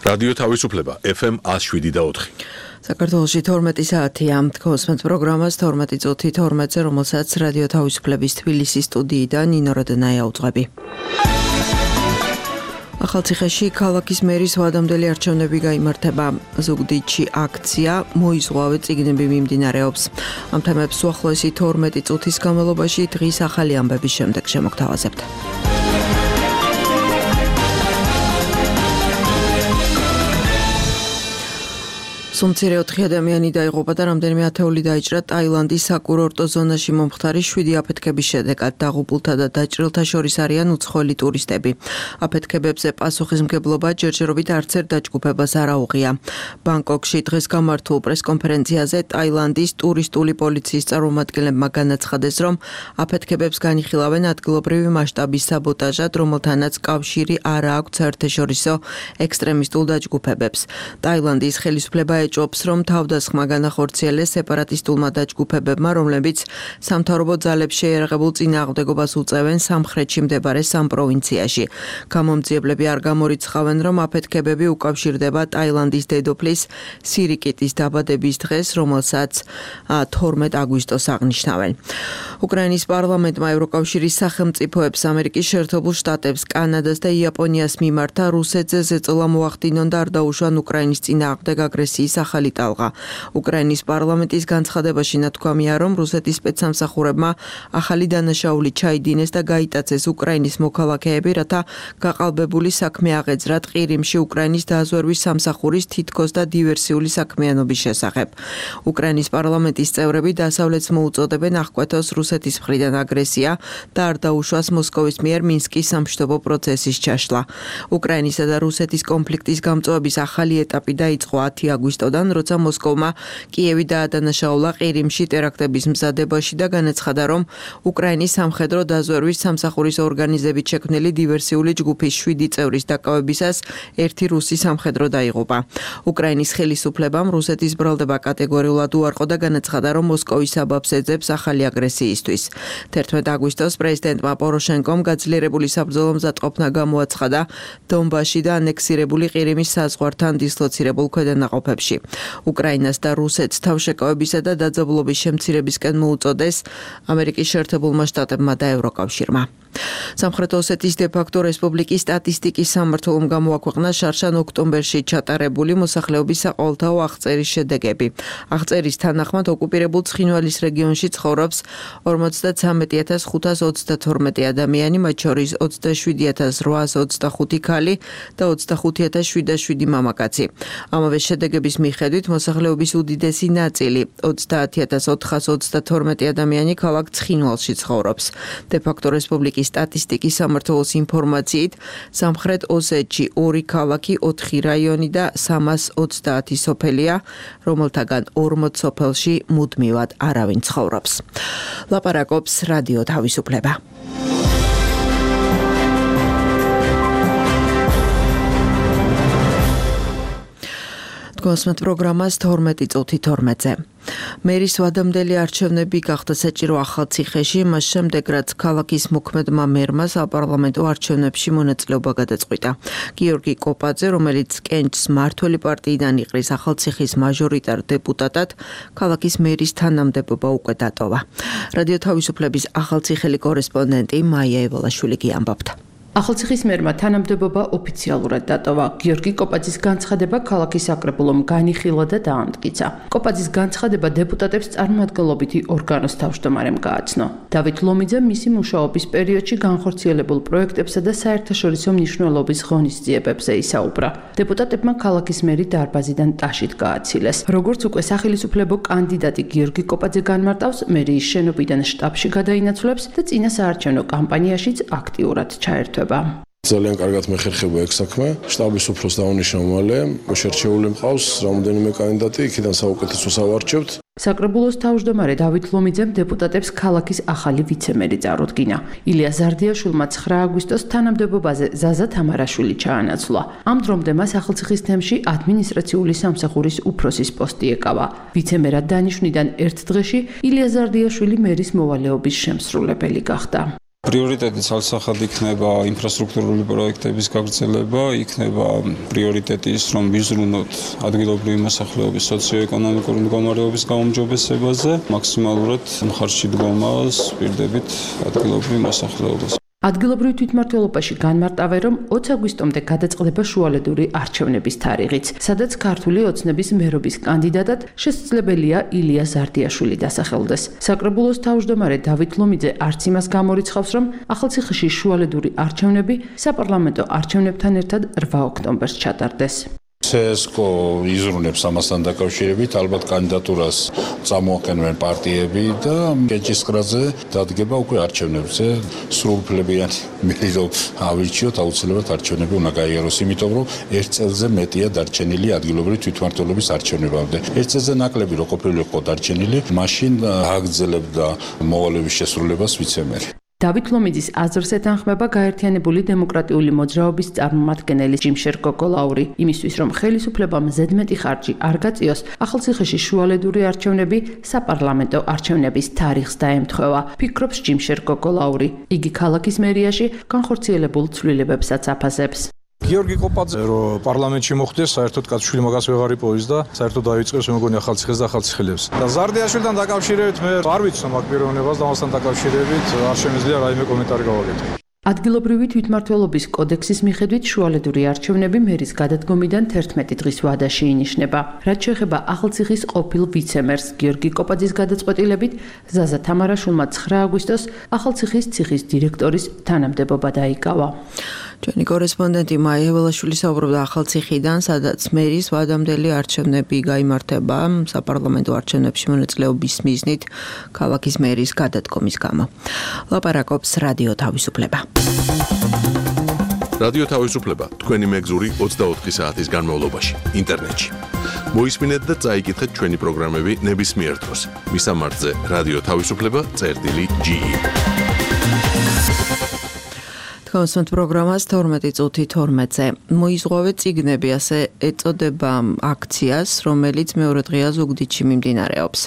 რადიო თავისუფლება FM 107.4. საქართველოში 12 საათია. Თქოსმეთ პროგრამას 12 წუთი 12-ზე, რომელსაც რადიო თავისუფლების თბილისის სტუდიიდან ნინო როდნაია უძღვები. ახალციხეში ქალაქის მერის ვადამდელი არჩევნები გაიმართება. ზუგდიდში აქცია მოიზღვავე წიგნები მიმდინარეობს. ამ თემებს უახლოესი 12 წუთის განმავლობაში დღის ახალი ამბების შემდეგ შემოგთავაზებთ. სუმცირე 4 ადამიანი დაიღუპა და რამდენიმე ათეული დაიჭრა ტაილანდის საკურორტო ზონაში მომხდარი 7 აფეთქების შედეგად. დაღუპულთა და დაჭრილთა შორის არიან უცხოელი ტურისტები. აფეთქებებზე პასუხისმგებლობა ჯერჯერობით არც ერთ დაჯგუფებას არ აუღია. ბანგკოკში დღეს გამართულ პრესკონფერენციაზე ტაილანდის ტურისტული პოლიციის წარმომადგენლებმა განაცხადეს, რომ აფეთქებებს განიხილავენ ადგილობრივი მასშტაბის საბოტაჟად, რომელთანაც კავშირი არ აქვს საერთაშორისო ექსტრემისტულ დაჯგუფებებს. ტაილანდის ხელისუფლება ეჭვობს, რომ თავდასხმა განახორციელეს სეპარატისტულმა დაჯგუფებებმა, რომლებიც სამთავრობო ძალებს შეიარაღებულ წინააღმდეგობას უწევენ სამხრეთში მდებარე სამ პროვინციაში. გამომძიებლები არ გამორიცხავენ, რომ აფეთქებები უკავშირდება ტაილანდის დედოფლის სირიკიტის დაბადების დღეს, რომელსაც 12 აგვისტოს აღნიშნავენ. უკრაინის პარლამენტმა ევროკავშირის სახელმწიფოებს, ამერიკის შეერთებულ შტატებს, კანადას და იაპონიას მიმართა რუსეთზე ზეწოლა მოახდინონ და არ დაუშვან უკრაინის წინააღმდეგ აგრესიის ახალი ტალღა. უკრაინის პარლამენტის განცხადებაში ნათქვამია, რომ რუსეთის სპეცსამსახურებმა ახალი დანაშაული ჩაიდინეს და გაიტაცეს უკრაინის მოქალაქეები, რათა გაყალბებული საქმე აღეძრათ ყირიმში უკრაინის დაზვერვის სამსახურის თითქოს და დივერსიული საქმიანობის შესახებ. უკრაინის პარლამენტის წევრები დასავლეთს მოუწოდებენ აღკვეთოს რუსეთის მხრიდან აგრესია და არ დაუშვას მოსკოვის მიერ მინსკის სამშვიდობო პროცესის ჩაშლა. უკრაინისა და რუსეთის კონფლიქტის გამწვავების ახალი ეტაპი დაიწყო 10 აგვისტოდან, როცა მოსკოვმა კიევი დაადანაშაულა ყირიმში ტერაქტების მზადებაში და განაცხადა, რომ უკრაინის სამხედრო დაზვერვის სამსახურის ორგანიზებით შექმნილი დივერსიული ჯგუფის 7 წევრის დაკავებისას ერთი რუსი სამხედრო დაიღუპა. უკრაინის ხელისუფლებამ რუსეთის ბრალდება კატეგორიულად უარყო და განაცხადა, რომ მოსკოვის საბაბს ეძებს ახალი აგრესიისთვის. 11 აგვისტოს პრეზიდენტმა პოროშენკომ გაძლიერებული საბრძოლო მზადყოფნა გამოაცხადა დონბასში და ანექსირებული ყირიმის საზღვართან დისლოცირებულ ქვედანაყოფებში. უკრაინას და რუსეთს თავშეკავებისა და დაძაბულობის შემცირებისკენ მოუწოდეს ამერიკის შეერთებულმა შტატებმა და ევროკავშირმა. სამხრეთ ოსეთის დე-ფაქტო რესპუბლიკის სტატისტიკის სამმართველომ გამოაქვეყნა შარშან ოქტომბერში ჩატარებული მოსახლეობის საყოველთაო აღწერის შედეგები. აღწერის თანახმად ოკუპირებულ ცხინვალის რეგიონში ცხოვრობს 43532 ადამიანი, მათ შორის 27825 ქალი და 25707 მამაკაცი. ამავე შედეგების მიხედვით მოსახლეობის უდიდესი ნაწილი 30422 ადამიანი ქალაქ ცხინვალში ცხოვრობს. დე-ფაქტო რესპუბლიკის სტატისტიკის სამმართველოს ინფორმაციით, სამხრეთ ოსეთში 2 ქალაქი, 4 რაიონი და 330 სოფელია, რომელთაგან 40 სოფელში მუდმივად არავინ ცხოვრობს. ლაპარაკობს რადიო თავისუფლება. თქოსმეთ პროგრამას 12 წუთი 12-ზე. მერის ვადამდელი არჩევნები გახდა საჭირო ახალციხეში, მას შემდეგ რაც ქალაქის მოქმედმა მერმა საპარლამენტო არჩევნებში მონაწილეობა გადაწყვიტა. გიორგი კოპაძე, რომელიც კენჭს მმართველი პარტიიდან იყრის ახალციხის მაჟორიტარ დეპუტატად, ქალაქის მერის თანამდებობა უკვე დატოვა. რადიო თავისუფლების ახალციხელი კორესპონდენტი მაია ევალაშვილი გიამბობთ. ახალციხის მერმა თანამდებობა ოფიციალურად დატოვა. გიორგი კოპაძის განცხადება ქალაქის საკრებულომ განიხილა და დაამტკიცა. კოპაძის განცხადება დეპუტატებს წარმოადგენლობითი ორგანოს თავმჯდომარემ გააცნო. დავით ლომიძე მისი მუშაობის პერიოდში განხორციელებულ პროექტებსა და საერთაშორისო მნიშვნელობის ღონისძიებებზე ისაუბრა. დეპუტატებმა ქალაქის მერი დარბაზიდან ტაშით გააცილეს. როგორც უკვე სახელისუფლებო კანდიდატი გიორგი კოპაძე განმარტავს, მერიის შენობიდან შტაბში გადაინაცვლებს და წინა საარჩევნო კამპანიაშიც აქტიურად ჩაერთვება. ძალიან კარგად მეხერხება ეგ საქმე. შტაბის უფროს დავუნიშნავ მალე, შერჩეული მყავს რამდენიმე კანდიდატი, იქიდან საუკეთესოს ავარჩევთ. საკრებულოს თავმჯდომარე დავით ლომიძემ დეპუტატებს ქალაქის ახალი ვიცემერი წარუდგინა. ილია ზარდიაშვილმა 9 აგვისტოს თანამდებობაზე ზაზა თამარაშვილი ჩაანაცვლა. ამ დრომდე მას ახალციხის თემში ადმინისტრაციული სამსახურის უფროსის პოსტი ეკავა. ვიცემერად დანიშვნიდან ერთ დღეში ილია ზარდიაშვილი მერის მოვალეობის შემსრულებელი გახდა. პრიორიტეტი ცალსახად იქნება ინფრასტრუქტურული პროექტების გაგრძელება, იქნება პრიორიტეტი ის, რომ ვიზრუნოთ ადგილობრივი მოსახლეობის სოციო-ეკონომიკური მდგომარეობის გაუმჯობესებაზე, მაქსიმალურად მხარში დგომას პირდებით ადგილობრივ მოსახლეობას. ადგილობრივ თვითმმართველობაში განმარტავენ, რომ 20 აგვისტომდე გადაწყდება შუალედური არჩევნების თარიღიც, სადაც ქართული ოცნების მერობის კანდიდატად შესაძლებელია ილია ზარდიაშვილი დასახელდეს. საკრებულოს თავმჯდომარე დავით ლომიძე არც იმას გამორიცხავს, რომ ახალციხეში შუალედური არჩევნები საპარლამენტო არჩევნებთან ერთად 8 ოქტომბერს ჩატარდეს. CSGO იზრუნებს ამასთან დაკავშირებით, ალბათ კანდიდატურას წამოაყენებენ პარტიები და კენჭისყრაზე დადგება უკვე არჩევნებზე. სრულუფლებიანი მერიდო ავირჩიოთ, აუცილებლად არჩევნები უნდა გაიაროს, იმიტომ რომ ერთ წელზე მეტია დარჩენილი ადგილობრივი თვითმმართველობის არჩევნებამდე. ერთ წელზე ნაკლები რო ყოფილიყო დარჩენილი, მაშინ აგრძელებდა მოვალეობის შესრულებას ვიცემერი. დავით ლომიძის აზრს ეთანხმება გაერთიანებული დემოკრატიული მოძრაობის წარმომადგენელი ჯიმშერ კოკოლაური. იმისთვის, რომ ხელისუფლებამ ზედმეტი ხარჯი არ გაწიოს, ახალციხეში შუალედური არჩევნები საპარლამენტო არჩევნების თარიღს დაემთხვევა, ფიქრობს ჯიმშერ კოკოლაური. იგი ქალაქის მერიაში განხორციელებულ ცვლილებებსაც აფასებს. გიორგი კოპაძე რომ პარლამენტში მოხვდეს, საერთოდ კაცშვილი მაგას ვეღარ იპოვის და საერთოდ დაიწყებს მე მგონი ახალციხეს და ახალციხელებს. და ზარდიაშვილთან დაკავშირებით მე არ ვიცნობ აქ პიროვნებას და მასთან დაკავშირებით არ შემიძლია რაიმე კომენტარი გავაკეთო. ადგილობრივი თვითმმართველობის კოდექსის მიხედვით შუალედური არჩევნები მერის გადადგომიდან 11 დღის ვადაში ინიშნება. რაც შეეხება ახალციხის ყოფილ ვიცემერს გიორგი კოპაძის გადაწყვეტილებით, ზაზა თამარაშვილმა 9 აგვისტოს ახალციხის ციხის დირექტორის თანამდებობა დაიკავა. ჩვენი კორესპონდენტი მაია ველაშვილი საუბრობდა ახალციხიდან, სადაც მერის ვადამდელი არჩევნები გაიმართება საპარლამენტო არჩევნებში მონაწილეობის მიზნით ქალაქის მერის გადადგომის გამო. ლაპარაკობს რადიო თავისუფლება. რადიო თავისუფლება თქვენი მეგზური 24 საათის განმავლობაში ინტერნეტში. მოისმინეთ და წაიკითხეთ ჩვენი პროგრამები ნებისმიერ დროს. მისამართზე რადიო თავისუფლება.ge. თქვენს პროგრამას 12 წუთი 12-ზე მოიზღვავე წიგნები, ასე ეწოდება აქციას, რომელიც მეორე დღეა ზუგდიდში მიმდინარეობს.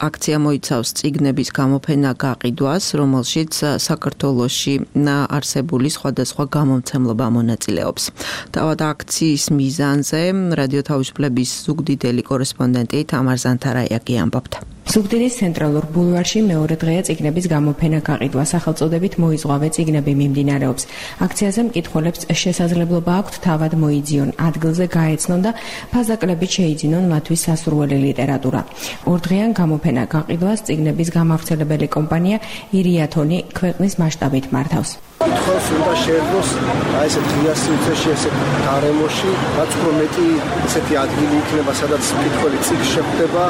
აქცია მოიცავს წიგნების გამოფენა გაყიდვას, რომელშიც საქართველოში არსებული სხვადასხვა გამომცემლობა მონაწილეობს. თავად აქციის მიზანზე რადიო თავისუფლების ზუგდიდელი კორესპონდენტი თამარ ზანთარაიაკი ამბობდა. ზუგდიდის ცენტრალურ ბულვარში მეორე დღეა წიგნების გამოფენა გაყიდვა, სახელწოდებით მოიზღვავე წიგნები მიმდინარეობს. აქციაზე მკითხველებს შესაძლებლობა აქვთ თავად მოიძიონ, ადგილზე გაეცნონ და ფაზაკლებით შეიძინონ ლათვის სასურველი ლიტერატურა. ორდღიან გამოფენა გაყიდვას წიგნების გამავრცელებელი კომპანია ირიათონი ქვეყნის მასშტაბით მართავს. კითხავს უნდა შეერდოს ესეთ ღია სივრცეში, ესეთ გარემოში, რაც უფრო მეტი ესეთი ადგილი იქნება, სადაც კითხველი წიგნი შეხვდება,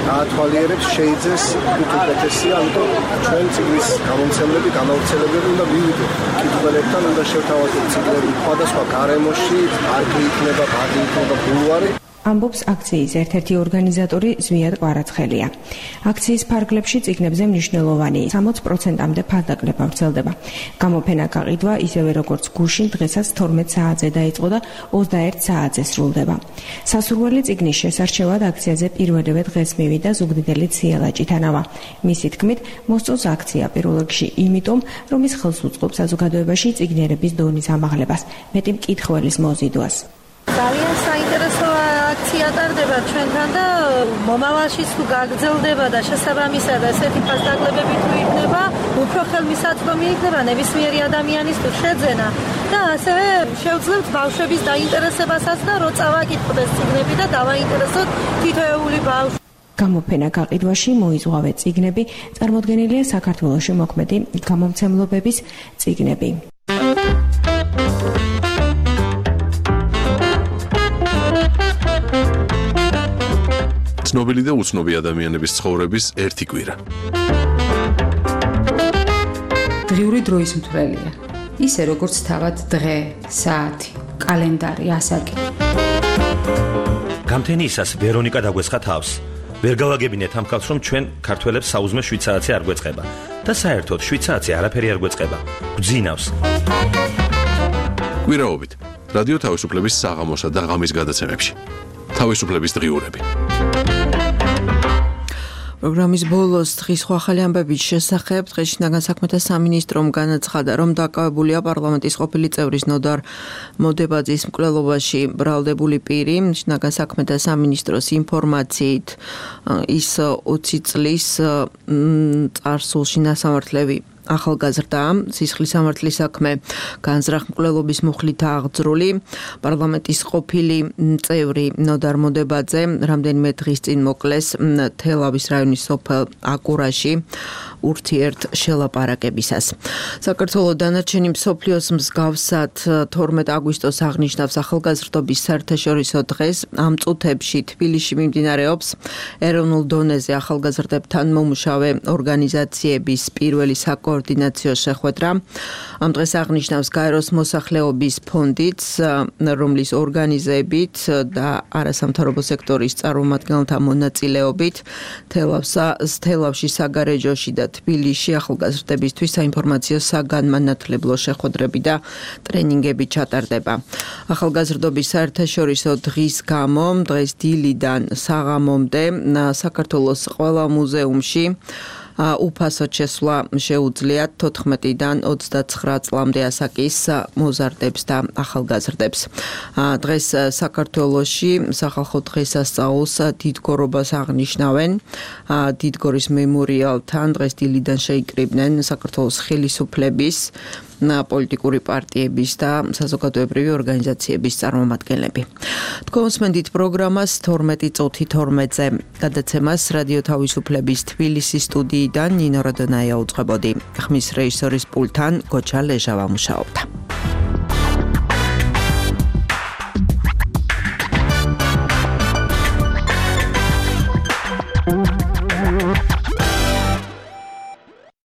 გაათვალიერებს, შეიძეს უკეთესია, ამიტომ ჩვენ წიგნის გამომცემლები, გამავრცელებელი უნდა მივიდეთ კითხველებთან, უნდა შევთავაზოთ წიგნები სხვადასხვა გარემოში, პარკი იქნება, ბაღი იქნება, ბულვარი. ამბობს აქციის ერთ-ერთი ორგანიზატორი ზვიად კვარაცხელია. აქციის ფარგლებში წიგნებზე მნიშვნელოვანი 60%-მდე ფასდაკლება ვრცელდება. გამოფენა გაყიდვა ისევე როგორც გუშინ დღესაც 12 საათზე დაიწყო და 21 საათზე სრულდება. სასურველი წიგნის შესარჩევად აქციაზე პირველივე დღეს მივიდა ზუგდიდელი ციელა ჭიტანავა. მისი თქმით, მოსწონს აქცია პირველ რიგში იმიტომ, რომ ის ხელს უწყობს საზოგადოებაში წიგნიერების დონის ამაღლებას, მეტი მკითხველის მოზიდვას. ძალიან საინტერესო აქცია ტარდება ჩვენთან და მომავალშიც თუ გაგრძელდება და შესაბამისად ესეთი ფასდაკლებები თუ იქნება, უფრო ხელმისაწვდომი იქნება ნებისმიერი ადამიანის თუ შეძენა და ასევე შევძლებთ ბავშვების დაინტერესებასაც და რო წავაკითხოთ წიგნები და დავაინტერესოთ თითოეული ბავშვი. გამოფენა გაყიდვაში მოიზღვავე წიგნები წარმოდგენილია საქართველოში მოქმედი გამომცემლობების წიგნები. ცნობილი და უცნობი ადამიანების ცხოვრების ერთი კვირა. დღიური დროის მთვრელია. ისე როგორც თავად დღე, საათი, კალენდარი, ასაკი. გამთენიისას ვერონიკა დაგვესხა თავს. ვერ გავაგებინეთ ამ ხალხს, რომ ჩვენ ქართველებს საუზმე 7 საათი არ გვეწყება და საერთოდ 7 საათი არაფერი არ გვეწყება. გვძინავს. კვირაობით რადიო თავისუფლების საღამოსა და ღამის გადაცემებში. თავისუფლების დღიურები. პროგრამის ბოლოს დღის ახალი ამბების შესახებ დღეში შინაგან საქმეთა სამინისტრომ განაცხადა, რომ დაკავებულია პარლამენტის ყოფილი წევრის ნოდარ მოდებაძის მკვლელობაში ბრალდებული პირი. შინაგან საქმეთა სამინისტროს ინფორმაციით ის 20 წლის წარსულში ნასამართლები ახალგაზრდა სისხლის სამართლის საქმე განზრახ მკვლელობის მუხლით აღძრული პარლამენტის ყოფილი წევრი ნოდარ მოდებაძე რამდენიმე დღის წინ მოკლეს თელავის რაიონის სოფელ აკურაში ურთიერთ შელაპარაკებისას. საქართველოს დანარჩენი მსოფლიოს მსგავსად 12 აგვისტოს აღნიშნავს ახალგაზრდობის საერთაშორისო დღეს. ამ წუთებში თბილისში მიმდინარეობს ეროვნულ დონეზე ახალგაზრდებთან მომუშავე ორგანიზაციების პირველი საკოორდინაციო შეხვედრა. ამ დღეს აღნიშნავს გაეროს მოსახლეობის ფონდიც, რომლის ორგანიზებით და არასამთავრობო სექტორის წარმომადგენელთა მონაწილეობით თელავში, საგარეჯოში და თბილისში ახალგაზრდებისთვის საინფორმაციო საგანმანათლებლო შეხვედრები და ტრენინგები ჩატარდება. ახალგაზრდობის საერთაშორისო დღის გამო დღეს დილიდან საღამომდე საქართველოს ყველა მუზეუმში უფასოდ შესვლა შეუძლიათ 14-დან 29 წლამდე ასაკის მოზარდებს და ახალგაზრდებს. დღეს საქართველოში სახალხო დღესასწაულს დიდგორობას აღნიშნავენ. დიდგორის მემორიალთან დღეს დილიდან შეიკრიბნენ საქართველოს ხელისუფლების, პოლიტიკური პარტიების და საზოგადოებრივი ორგანიზაციების წარმომადგენლები. თქვენსმენდით პროგრამას 12 წუთი 12-ზე გადაცემას რადიო თავისუფლების თბილისის სტუდიიდან ნინო როდონაია უწყებოდი. ხმის რეჟისორის პულტთან გოჩა ლეჟავა მუშაობდა.